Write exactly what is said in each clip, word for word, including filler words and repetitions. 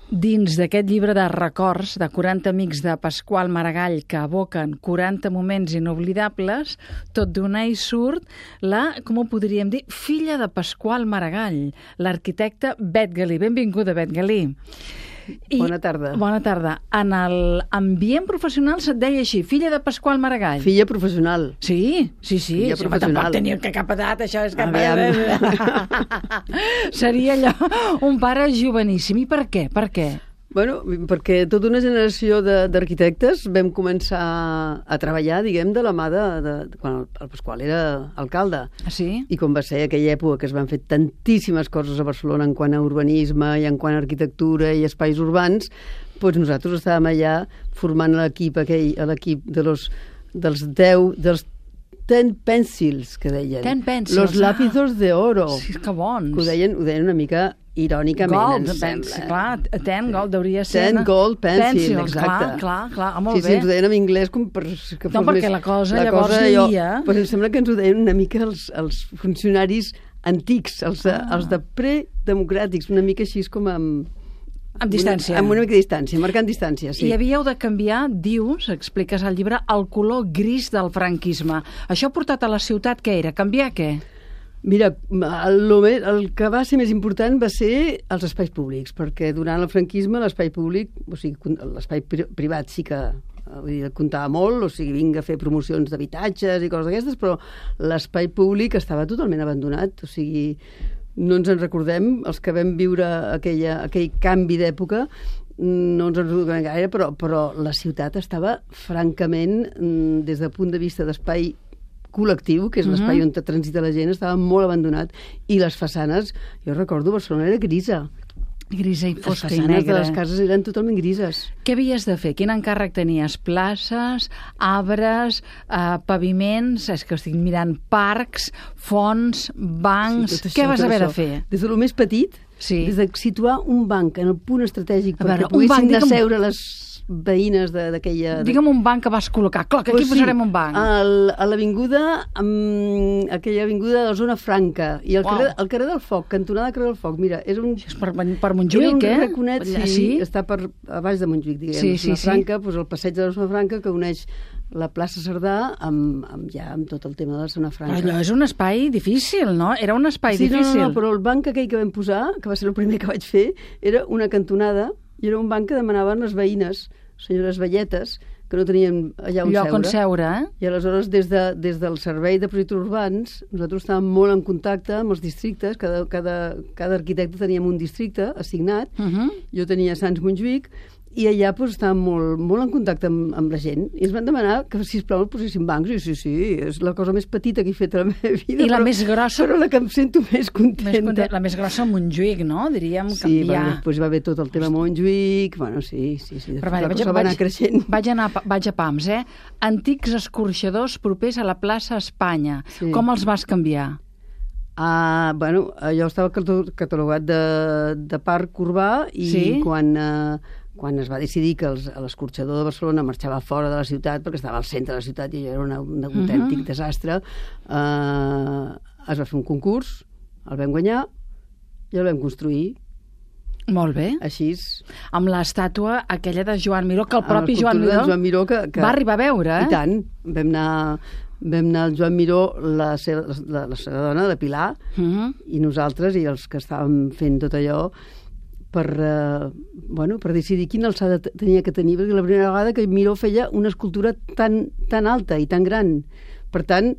Dins d'aquest llibre de records de quaranta amics de Pasqual Maragall que evoquen quaranta moments inoblidables, tot d'una hi surt la, com ho podríem dir, filla de Pasqual Maragall, l'arquitecte Bet Galí. Benvinguda, Bet Galí. I, bona tarda. Bona tarda. En l'ambient professional se't deia així, filla de Pasqual Maragall. Filla professional. Sí, sí, sí. Filla sí, professional. Tampoc tenia que cap edat, això és que... Seria allò un pare joveníssim. I per què? Per què? Bueno, perquè tota una generació d'arquitectes vam començar a treballar, diguem, de la mà de, de, de quan el Pasqual era alcalde. Ah, sí? I com va ser aquella època que es van fer tantíssimes coses a Barcelona en quant a urbanisme i en quant a arquitectura i espais urbans, doncs nosaltres estàvem allà formant l'equip aquell, l'equip de los, dels deu, dels ten pencils, que deien. Ten pencils. Los lápizos de oro. Sí, que bons. Que ho deien, ho deien una mica irònicament, gold, em sembla. Clar, ten gold deuria ser... Ten gold pencil, pencils, exacte. Clar, clar, clar, ah, molt sí, bé. Sí, ens ho deien en anglès com per... Que no, perquè més, la cosa la llavors cosa, hi havia... Però em sembla que ens ho deien una mica els, els funcionaris antics, els de, ah. els de predemocràtics, una mica així com amb... Amb distància. Una, amb una mica de distància, marcant distància, sí. I havíeu de canviar, dius, expliques al llibre, el color gris del franquisme. Això ha portat a la ciutat, què era? Canviar què? Mira, el, el que va ser més important va ser els espais públics, perquè durant el franquisme l'espai públic, o sigui, l'espai privat sí que vull dir, comptava molt, o sigui, vinga a fer promocions d'habitatges i coses d'aquestes, però l'espai públic estava totalment abandonat, o sigui, no ens en recordem, els que vam viure aquella, aquell canvi d'època, no ens en recordem gaire, però, però la ciutat estava francament, des del punt de vista d'espai col·lectiu, que és l'espai on transita la gent, estava molt abandonat, i les façanes, jo recordo, Barcelona era grisa. Grisa i fosca i negra. Les façanes de les cases eren totalment grises. Què havies de fer? Quin encàrrec tenies? Places, arbres, eh, paviments, és que estic mirant parcs, fonts, bancs... Sí, això, què vas haver això. de fer? Des de lo més petit, sí. des de situar un banc en el punt estratègic a veure, perquè poguessin digue'm... asseure les veïnes d'aquella... Digue'm un banc que vas col·locar. Clar, que aquí pues posarem sí, un banc. El, a l'avinguda, um, aquella avinguda de la zona franca, i el, wow. carrer, el carrer del Foc, cantonada carrer del Foc, mira, és un... És per, per Montjuïc, eh? Era un raconet, sí, sí, està per, a baix de Montjuïc, diguem. Sí, sí, la Franca, sí. Pues, el passeig de la zona franca que uneix la plaça Cerdà amb, amb, ja, amb tot el tema de la zona franca. Allò és un espai difícil, no? Era un espai sí, difícil. No, no, no, però el banc aquell que vam posar, que va ser el primer que vaig fer, era una cantonada, i era un banc que demanaven les veïnes, senyores velletes, que no tenien allà on lloc seure. on seure, eh? I aleshores, des, de, des del Servei de Projectes Urbans, nosaltres estàvem molt en contacte amb els districtes, cada, cada, cada arquitecte teníem un districte assignat, uh -huh. Jo tenia Sants Montjuïc, i allà pues, estàvem molt, molt en contacte amb, amb la gent, i ens van demanar que, sisplau, el posessin bancs, i sí, sí, és la cosa més petita que he fet a la meva vida. I la però, més grossa... Però la que em sento més contenta. Més contenta. La més grossa a Montjuïc, no? Diríem sí, canviar. Sí, bueno, després va haver tot el tema Montjuïc, bueno, sí, sí, sí. Però vaja, vaig, va anar creixent. Vaig, anar, vaig a pams, eh? Antics escorxadors propers a la plaça Espanya. Sí. Com els vas canviar? Uh, bueno, allò estava catalogat de, de parc urbà i sí? quan... Uh, quan es va decidir que l'escorxador de Barcelona marxava fora de la ciutat, perquè estava al centre de la ciutat i era una, un autèntic uh-huh. desastre, eh, es va fer un concurs, el vam guanyar i el vam construir. Molt bé. Així. Amb l'estàtua aquella de Joan Miró, que el propi Joan Miró, Joan Miró que, que... va arribar a veure, eh? I tant. Vam anar... Vam anar al Joan Miró, la seva, la, la seva dona, la Pilar, uh-huh. i nosaltres, i els que estàvem fent tot allò, per, eh, bueno, per decidir quina alçada tenia que tenir, perquè la primera vegada que Miró feia una escultura tan, tan alta i tan gran. Per tant,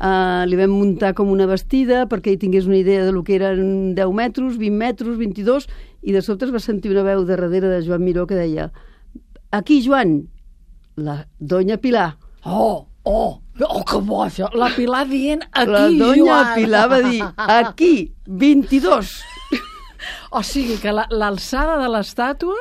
eh, li vam muntar com una vestida perquè ell tingués una idea de lo que eren deu metres, vint metres, vint-i-dos, i de sobte es va sentir una veu de darrere de Joan Miró que deia: aquí, Joan, la doña Pilar. Oh, oh, oh, que bo això. La Pilar dient aquí, la doña Joan. La Pilar va dir aquí, vint-i-dos. O sigui que l'alçada la, de l'estàtua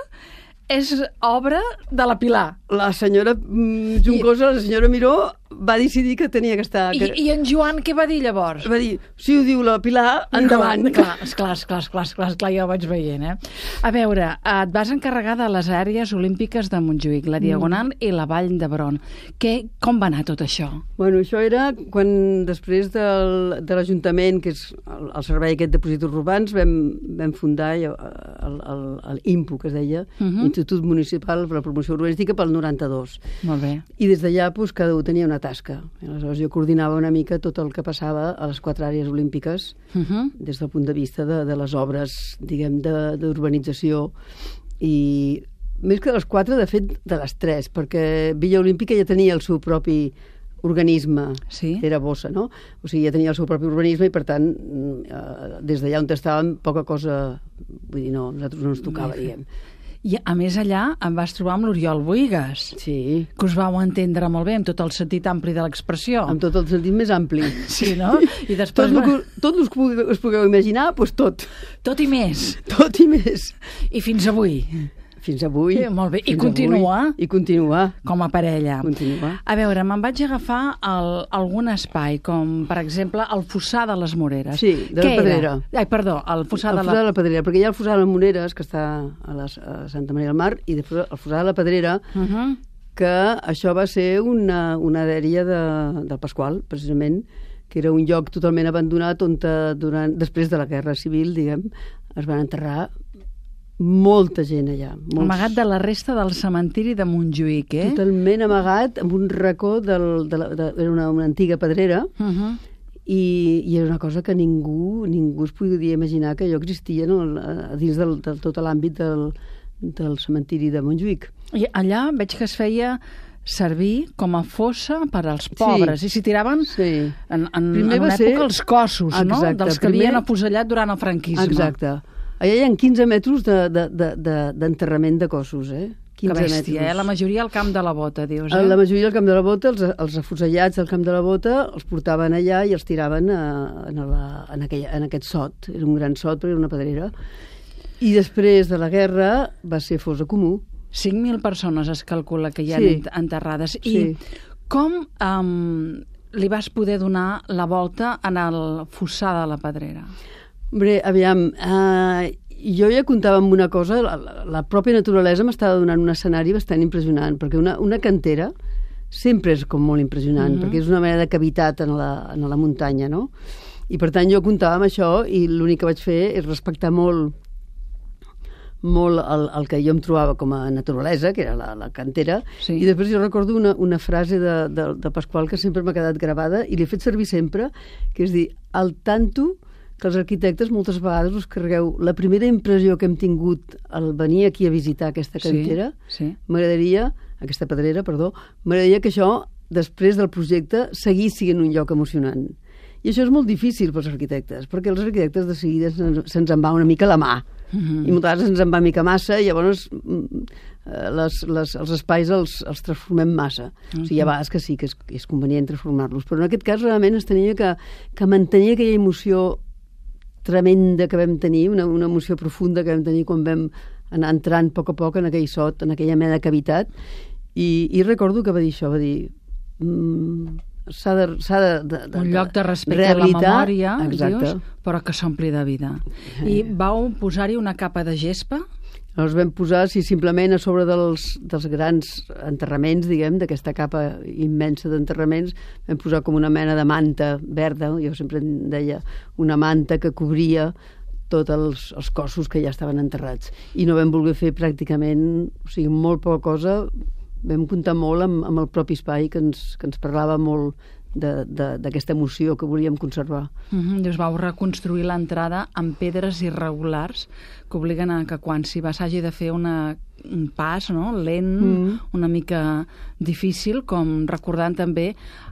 és obra de la Pilar. La senyora mm, Juncosa, I... la senyora Miró, va decidir que tenia que estar... I, Que... I en Joan què va dir llavors? Va dir, si ho diu la Pilar, endavant. Clar, esclar, esclar, esclar, esclar, esclar, ja ho vaig veient, eh? A veure, et vas encarregar de les àrees olímpiques de Montjuïc, la Diagonal mm. i la Vall d'Hebron. Què, com va anar tot això? Bueno, això era quan després del, de l'Ajuntament, que és el, el servei aquest de Projectes Urbans, vam, vam fundar el, el, el, el I M P U, que es deia, uh -huh. Institut Municipal per la Promoció Urbanística, pel noranta-dos. Molt bé. I des d'allà doncs, cada un tenia una tasca. Aleshores jo coordinava una mica tot el que passava a les quatre àrees olímpiques uh -huh. des del punt de vista de, de les obres, diguem, d'urbanització i més que de les quatre, de fet, de les tres, perquè Villa Olímpica ja tenia el seu propi organisme, sí? Era bossa, no? O sigui, ja tenia el seu propi urbanisme i, per tant, eh, des d'allà on estàvem, poca cosa, vull dir, no, nosaltres no ens tocava, diguem. I, a més, allà em vas trobar amb l'Oriol Bohigas. Sí. Que us vau entendre molt bé, amb tot el sentit ampli de l'expressió. Amb tot el sentit més ampli. Sí, no? I després... Tot el que, tot el que us pugueu imaginar, doncs tot. Tot i més. Tot i més. I fins avui. Fins avui. Sí, molt bé. I continua. I continua. Com a parella. Continua. A veure, me'n vaig agafar el, algun espai, com, per exemple, el Fossar de les Moreres. Sí, de la Pedrera. Ai, perdó, el Fossar, el de, la... Fossar de la Pedrera, perquè hi ha el Fossar de les Moreres, que està a, les, a Santa Maria del Mar, i després el Fossar de la Pedrera, uh -huh. que això va ser una, una dèria de, del Pasqual, precisament, que era un lloc totalment abandonat on, durant, després de la Guerra Civil, diguem, es van enterrar molta gent allà. Molts... Amagat de la resta del cementiri de Montjuïc, eh? Totalment amagat, amb un racó del, de la, de, era una, una antiga pedrera, uh -huh. i, i era una cosa que ningú ningú es podia imaginar que allò existia, no? A dins del, de tot l'àmbit del, del cementiri de Montjuïc. I allà veig que es feia servir com a fossa per als pobres, sí. I s'hi tiraven sí. en, en, en una ser... època els cossos, exacte, no? Dels que primer... havien afusellat durant el franquisme. Exacte. Allà hi ha quinze metres d'enterrament de, de, de, de cossos, eh? quinze que bèstia, metres. Eh? La majoria al Camp de la Bota, dius, eh? La majoria al Camp de la Bota, els, els afusellats del Camp de la Bota, els portaven allà i els tiraven a, a la, en, aquell, en aquest sot. Era un gran sot, però era una pedrera. I després de la guerra va ser fossa comú. cinc mil persones es calcula que hi ha sí. enterrades. I sí. com um, li vas poder donar la volta en el Fossar de la Pedrera? Bé, aviam, eh, jo ja comptava amb una cosa, la, la pròpia naturalesa m'estava donant un escenari bastant impressionant, perquè una, una cantera sempre és com molt impressionant, mm-hmm. perquè és una mena de cavitat en la, en la muntanya, no? I per tant jo comptava amb això i l'únic que vaig fer és respectar molt molt el, el que jo em trobava com a naturalesa, que era la, la cantera, sí. I després jo recordo una, una frase de, de, de Pasqual que sempre m'ha quedat gravada i l'he fet servir sempre, que és dir, al tanto que els arquitectes moltes vegades us carregueu la primera impressió que hem tingut al venir aquí a visitar aquesta cantera, sí, sí. M'agradaria, aquesta pedrera, perdó, m'agradaria que això, després del projecte, seguís sent un lloc emocionant. I això és molt difícil pels arquitectes, perquè els arquitectes de seguida se'ns, se'ns en va una mica la mà, mm-hmm. i moltes vegades ens en va mica massa, i llavors les, les, els espais els, els transformem massa. Mm-hmm. O sigui, hi ha vegades que sí, que és, és convenient transformar-los, però en aquest cas realment es tenia que, que mantenir aquella emoció tremenda que vam tenir, una, una emoció profunda que vam tenir quan vam anar entrant a poc a poc en aquell sot, en aquella mena de cavitat, i, i recordo que va dir això, va dir mm, s'ha de, s'ha de, de, de un lloc de respecte a la memòria, exacte. Dius, però que s'ompli de vida. I vau posar-hi una capa de gespa? Els vam posar, sí, simplement a sobre dels, dels grans enterraments, diguem, d'aquesta capa immensa d'enterraments, vam posar com una mena de manta verda, jo sempre en deia una manta que cobria tots els, els cossos que ja estaven enterrats. I no vam voler fer pràcticament, o sigui, molt poca cosa, vam comptar molt amb, amb el propi espai que ens, que ens parlava molt d'aquesta emoció que volíem conservar. Mm-hmm. Us vau reconstruir l'entrada amb pedres irregulars que obliguen a que quan s'hi va s'hagi de fer una, un pas, no? Lent, mm. una mica difícil, com recordant també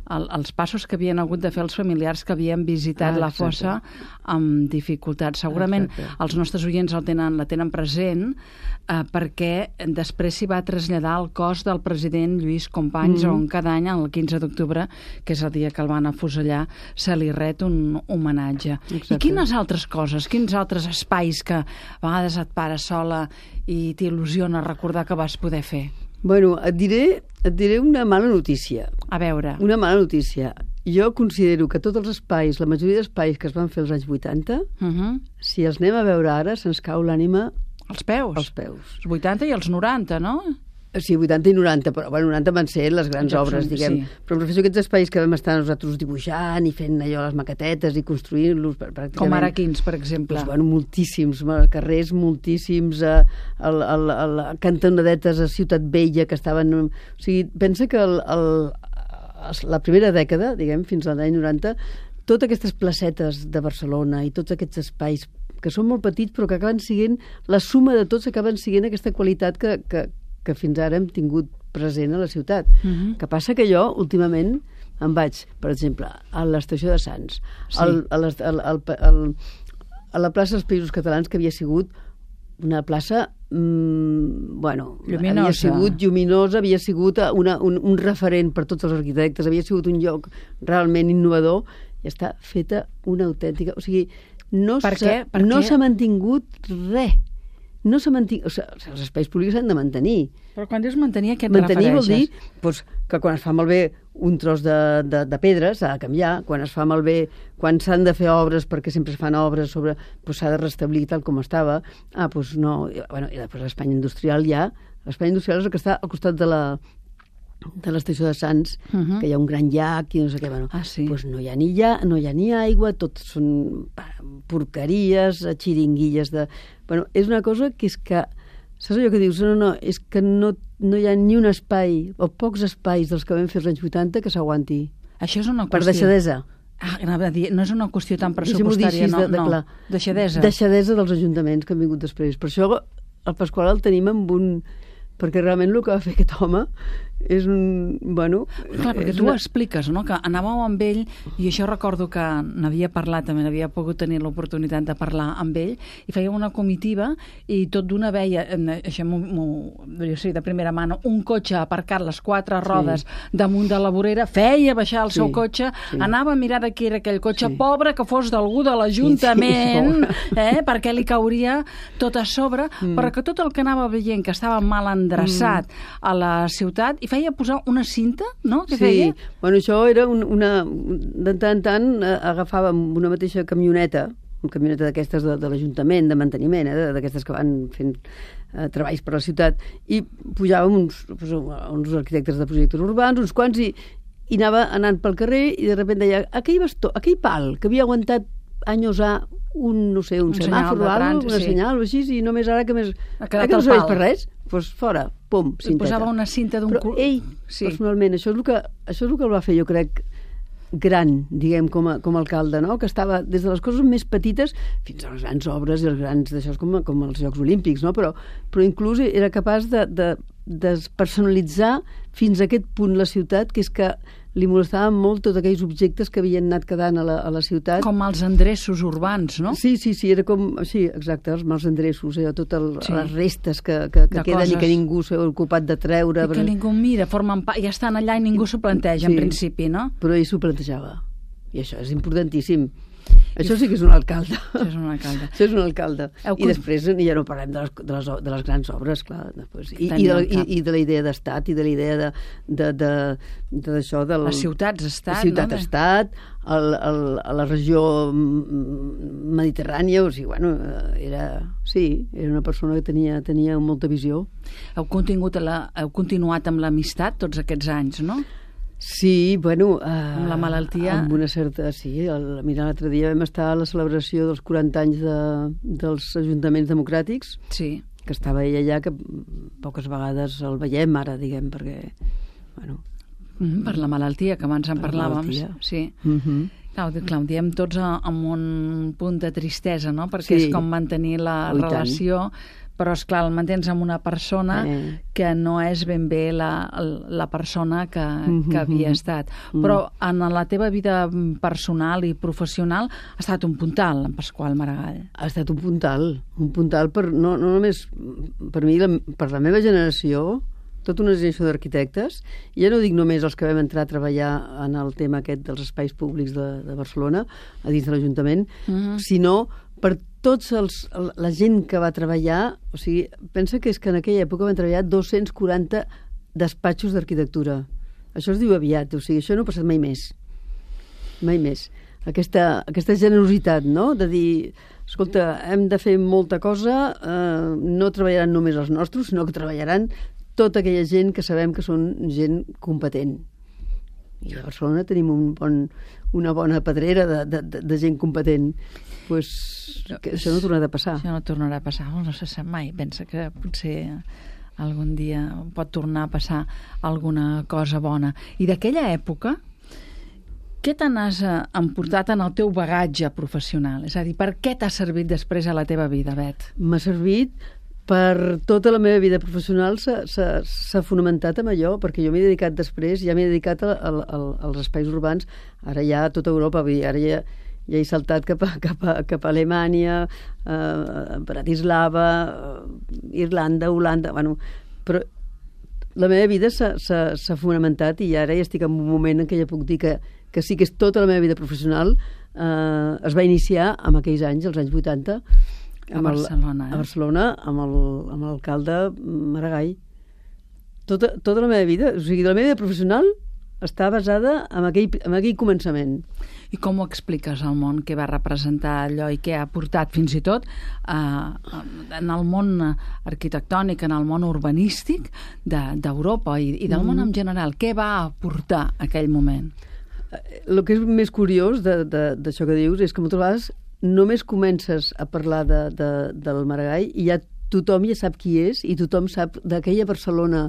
el, els passos que havien hagut de fer els familiars que havien visitat ah, la fossa amb dificultats. Segurament exacte. Els nostres oients el tenen, la tenen present eh, perquè després s'hi va traslladar el cos del president Lluís Companys, mm. on cada any, el quinze d'octubre, que és el dia que el van afusellar, se li ret un homenatge. Exacte. I quines altres coses, quins altres espais que a vegades et pares sola i t'il·lusiona recordar que vas poder fer? Bueno, et diré, et diré una mala notícia. A veure. Una mala notícia. Jo considero que tots els espais, la majoria d'espais que es van fer als anys vuitanta, Uh -huh. si els anem a veure ara, se'ns cau l'ànima Els peus. als peus. Els vuitanta i els noranta, no? Sí, vuitanta i noranta, però bueno, noranta van ser les grans Ja, obres, diguem. sí. Però em refereixo a aquests espais que vam estar nosaltres dibuixant i fent allò, les maquetetes i construint-los pràcticament. Com ara quins, per exemple. Doncs, bueno, moltíssims, carrers moltíssims, a, a, a, a la cantonadetes a Ciutat Vella que estaven... O sigui, pensa que el, el, la primera dècada, diguem, fins a l'any noranta, totes aquestes placetes de Barcelona i tots aquests espais que són molt petits però que acaben sent, la suma de tots acaben sent aquesta qualitat que, que, que fins ara hem tingut present a la ciutat. Uh -huh. Que passa que jo, últimament, em vaig, per exemple, a l'estació de Sants, Sí. al, a, les, al, al, al, a la plaça dels Països Catalans, que havia sigut una plaça mmm, bueno, Lluminosa. havia sigut lluminosa, havia sigut una, un, un referent per tots els arquitectes, havia sigut un lloc realment innovador, i està feta una autèntica... O sigui, no Per s'ha què? Per no què? s'ha mantingut res. No s'ha mantingut... O sigui, els espais públics s'han de mantenir. Però quan dius mantenir, a què et Mantenir vol dir refereixes? doncs, que quan es fa malbé un tros de, de, de pedra s'ha de canviar, quan es fa malbé, quan s'han de fer obres, perquè sempre es fan obres sobre, doncs s'ha de restablir tal com estava. Ah, doncs no... Bueno, i després l'Espanya industrial ja... L'Espanya industrial és el que està al costat de la de l'estació de Sants, Uh -huh. que hi ha un gran llac i no sé què, bueno, Ah, sí. doncs no hi ha ni, lla, no hi ha ni aigua, tot són pa, porqueries, xiringuilles de... Bueno, és una cosa que és que... Saps allò que dius? No, no, és que no, no hi ha ni un espai, o pocs espais dels que vam fer als anys vuitanta que s'aguanti. Això és una Per qüestió... deixadesa. Ah, anava a dir, no és una qüestió tan Deixem-ho dir pressupostària, així no, de, de no. clar. Deixadesa. Deixadesa dels ajuntaments que han vingut després. Per això el Pasqual el tenim amb un... Perquè realment el que va fer aquest home és un... Bueno... Clar, perquè és tu ho una... expliques, no?, que anàveu amb ell, i això recordo que n'havia parlat, també n'havia pogut tenir l'oportunitat de parlar amb ell, i feia una comitiva, i tot d'una veia, això m'ho, m'ho, jo sé, de primera mà, un cotxe aparcat, les quatre rodes sí. damunt de la vorera, feia baixar el sí, seu cotxe, sí. anava a mirar de qui era aquell cotxe, sí. pobre que fos d'algú de l'Ajuntament, sí, sí, eh, perquè li cauria tot a sobre, mm. però que tot el que anava veient que estava mal endreçat mm. a la ciutat, i feia posar una cinta, no?, que sí, feia? Bueno, això era un, una... De tant en tant eh, agafàvem una mateixa camioneta, una camioneta d'aquestes de, de l'Ajuntament, de manteniment, eh, d'aquestes que van fent eh, treballs per la ciutat, i pujàvem uns, uns arquitectes de projectes urbans, uns quants, i, i anava anant pel carrer, i de sobte deia, aquell bastó, aquell pal que havia aguantat anys a un, no sé, un, un semàfor o alguna cosa, una sí. senyal o així, i només ara que més... Ha quedat que no el serveix pal. per res, doncs fora, pum, cinteta. Posava una cinta d'un... Però ell, sí. personalment, això és, el que, això és el que el va fer, jo crec, gran, diguem, com a, com a alcalde, no?, que estava des de les coses més petites fins a les grans obres i els grans d'això, com, com els Jocs Olímpics, no?, però, però inclús era capaç de, de, de personalitzar fins a aquest punt la ciutat, que és que li molestaven molt tots aquells objectes que havien anat quedant a la, a la ciutat. Com els endreços urbans, no? Sí, sí, sí, era com... Sí, exacte, els mals endreços, eh, totes sí. les restes que, que, que queden coses. I que ningú s'ha ocupat de treure. I que però... ningú mira, formen pa... ja estan allà i ningú s'ho planteja, sí, en principi, no? Però ell s'ho plantejava. I això és importantíssim. Això sí que és un alcalde. Això és un alcalde. Això és un alcalde. Heu... I després ja no parlem de les, de les, de les grans obres, clar. Després. I, i, de, i, I de la idea d'estat, i de la idea de, de, de, de, d'això... Del, les ciutats-estat, la ciutat-estat, no? el, el, a la regió mediterrània, o sigui, bueno, era... Sí, era una persona que tenia, tenia molta visió. Heu, contingut a la, heu continuat amb l'amistat tots aquests anys, no? Sí, bueno... Uh, amb la malaltia... Amb una certa... Sí, el, mira, l'altre dia vam estar a la celebració dels quaranta anys de, dels ajuntaments democràtics, sí. que estava ell allà, que poques vegades el veiem ara, diguem, perquè... Bueno, mm, per la malaltia, que abans en parlàvem. Sí. Mm-hmm. Clar, clar, ho diem tots amb un punt de tristesa, no?, perquè sí. és com mantenir la oh, relació... Però, esclar, el mantens amb una persona eh. que no és ben bé la, la persona que, mm-hmm. que havia estat. Mm. Però en la teva vida personal i professional ha estat un puntal, en Pasqual Maragall. Ha estat un puntal, un puntal per, no, no només per mi, la, per la meva generació, tota una generació d'arquitectes, i ja no dic només els que vam entrar a treballar en el tema aquest dels espais públics de, de Barcelona, a dins de l'Ajuntament, mm-hmm. sinó per tots els, la gent que va treballar, o sigui, pensa que és que en aquella època van treballar dos-cents quaranta despatxos d'arquitectura. Això es diu aviat, o sigui, això no ha passat mai més. Mai més. Aquesta, aquesta generositat, no?, de dir, escolta, hem de fer molta cosa, eh, no treballaran només els nostres, sinó que treballaran tota aquella gent que sabem que són gent competent. I a Barcelona tenim un bon, una bona pedrera de, de, de, de gent competent. Pues, que això no tornarà a passar. Això no tornarà a passar, no se sap mai. Pensa que potser algun dia pot tornar a passar alguna cosa bona. I d'aquella època, què te n'has emportat en el teu bagatge professional? És a dir, per què t'ha servit després a la teva vida, Bet? M'ha servit per tota la meva vida professional, s'ha fonamentat en allò, perquè jo m'he dedicat després, ja m'he dedicat a, a, a, als espais urbans, ara ja a tota Europa, vull dir, ara ja, ja he saltat cap a, cap a, cap a Alemanya, eh, Bratislava, eh, Irlanda, Holanda, bueno, però la meva vida s'ha fonamentat i ara ja estic en un moment en què ja puc dir que, que sí que és tota la meva vida professional eh, es va iniciar en aquells anys, els anys vuitanta, a Barcelona, el, eh? a Barcelona amb l'alcalde Maragall. Tota, tota la meva vida, o sigui, la meva vida professional està basada en aquell, en aquell començament. I com ho expliques al món que va representar allò i què ha portat fins i tot eh, en el món arquitectònic, en el món urbanístic d'Europa de, i, i del mm. món en general? Què va aportar aquell moment? El que és més curiós d'això que dius és que moltes vegades només comences a parlar de, de, del Maragall i ja tothom ja sap qui és i tothom sap d'aquella Barcelona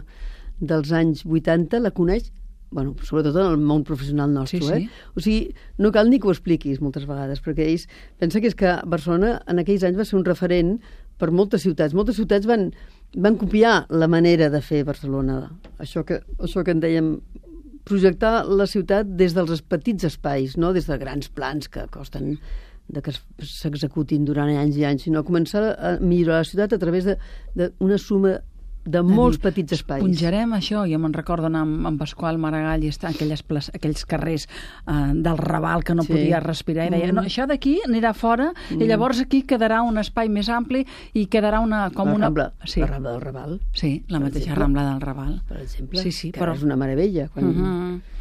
dels anys vuitanta, la coneix, bueno, sobretot en el món professional nostre, sí, sí. eh? O sigui, no cal ni que ho expliquis moltes vegades, perquè ells pensa que és que Barcelona en aquells anys va ser un referent per moltes ciutats. Moltes ciutats van, van copiar la manera de fer Barcelona. Això que, això que en dèiem, projectar la ciutat des dels petits espais, no des de grans plans que costen de que s'executin durant anys i anys, sinó començar a millorar la ciutat a través d'una suma de molts petits espais. Punjarem això, jo me'n recordo anar amb, amb Pasqual Maragall i estar en aquelles places, aquells carrers eh, del Raval que no sí. podia respirar i deia, mm. no, això d'aquí anirà fora mm. i llavors aquí quedarà un espai més ampli i quedarà una... com la una... Rambla, sí. la Rambla del Raval. Sí, la mateixa exemple. Rambla del Raval. Per exemple, sí, sí, que però... és una meravella. Quan... Uh -huh.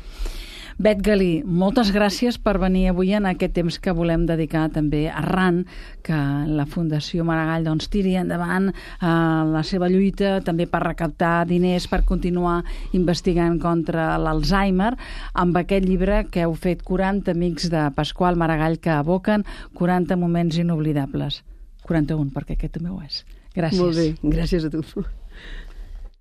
Bet Galí, moltes gràcies per venir avui en aquest temps que volem dedicar també arran que la Fundació Maragall doncs, tiri endavant eh, la seva lluita també per recaptar diners per continuar investigant contra l'Alzheimer amb aquest llibre que heu fet quaranta amics de Pasqual Maragall que evoquen quaranta moments inoblidables. quaranta-un, perquè aquest també ho és. Gràcies. Molt bé, gràcies a tu.